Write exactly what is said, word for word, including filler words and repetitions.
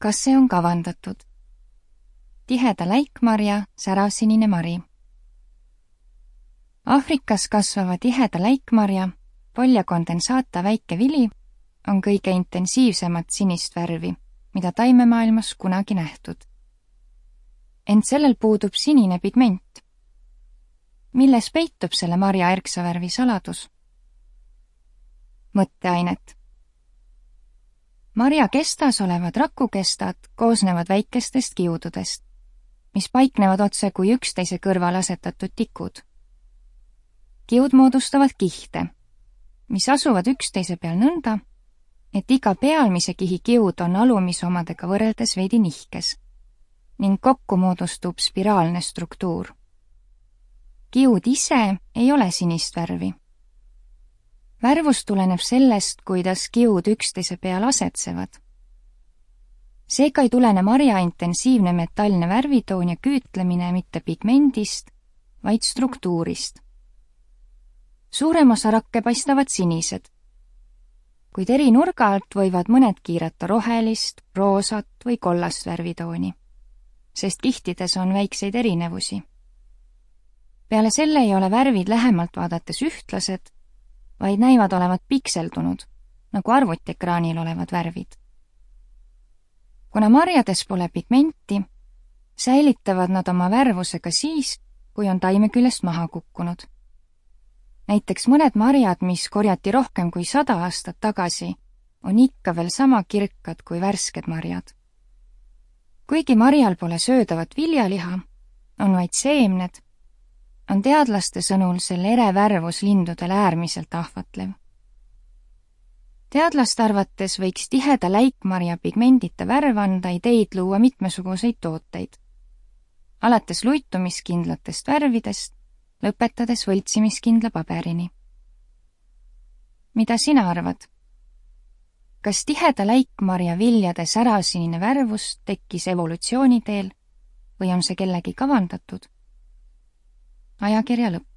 Kas see on kavandatud? Tiheda läikmarja, säravsinine mari. Aafrikas kasvava tiheda läikmarja, polja kondensaata väike vili on kõige intensiivsemat sinist värvi, mida taimemaailmas kunagi nähtud. Ent sellel puudub sinine pigment. Milles peitub selle marja erksavärvi saladus? Mõtteainet. Marja kestas olevad rakukestad koosnevad väikestest kiududest, mis paiknevad otse kui üksteise kõrval asetatud tikud. Kiud moodustavad kihte, mis asuvad üksteise peal nõnda, et iga pealmise kihi kiud on alumise omadega võrreldes veidi nihkes ning kokku moodustub spiraalne struktuur. Kiud ise ei ole sinist värvi. Värvus tuleneb sellest, kuidas kiud üksteise peal asetsevad. Seega ei tulene marja intensiivne metallne värvitoon ja küütlemine mitte pigmendist, vaid struktuurist. Suurem osa rakke paistavad sinised, kuid eri nurga alt võivad mõned kiirata rohelist, roosat või kollast värvitooni, sest kihtides on väikseid erinevusi. Peale selle ei ole värvid lähemalt vaadates ühtlased, vaid näivad olevat pikseldunud, nagu arvutiekraanil olevad värvid. Kuna marjades pole pigmenti, säilitavad nad oma värvuse ka siis, kui on taime küljest maha kukkunud. Näiteks mõned marjad, mis korjati rohkem kui sada aastat tagasi, on ikka veel sama kirkad kui värsked marjad. Kuigi marjal pole söödavat viljaliha, on vaid seemned, on teadlaste sõnul selle ere värvus lindudel äärmiselt ahvatlev. Teadlaste arvates võiks tiheda läikmarja pigmendita värv anda ideid luua mitmesuguseid tooteid, alates luitumiskindlatest värvidest, lõpetades võltsimiskindla paberini. Mida sina arvad? Kas tiheda läikmarja viljade säravsinine värvus tekkis evolutsiooni teel või on see kellegi kavandatud? Ajakirja lõpp.